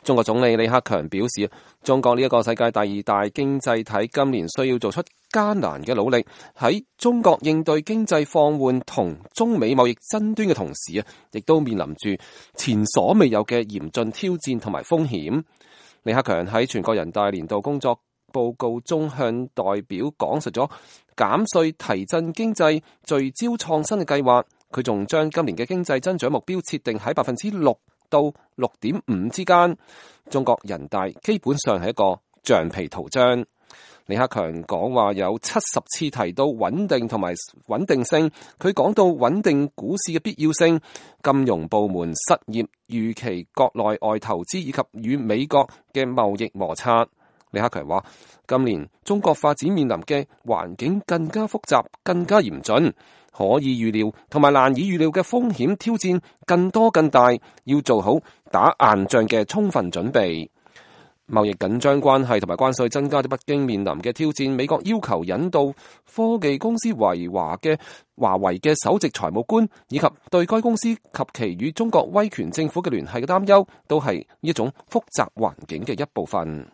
中國總理李克強表示，中國呢一個世界第二大經濟體，今年需要做出艱難嘅努力。喺中國應對經濟放緩同中美貿易爭端嘅同時亦都面臨住前所未有嘅嚴峻挑戰同埋風險。李克強喺全國人大年度工作報告中向代表講述咗減稅提振經濟、聚焦創新嘅計劃。佢仲將今年嘅經濟增長目標設定喺6%到6.5%之間。中國人大基本上係一個橡皮圖章。李克強講話有70次提到穩定同埋穩定性，佢講到穩定股市嘅必要性、金融部門失業預期、國內外投資以及與美國嘅貿易摩擦。李克強話，今年中國發展面臨嘅環境更加複雜、更加嚴峻，可以預料同埋難以預料嘅風險挑戰更多更大，要做好打硬仗嘅充分準備。貿易緊張關係同埋關稅增加咗北京面臨嘅挑戰。美國要求引渡科技公司華為嘅首席財務官，以及對該公司及其與中國威權政府嘅聯繫嘅擔憂，都係呢一種複雜環境嘅一部分。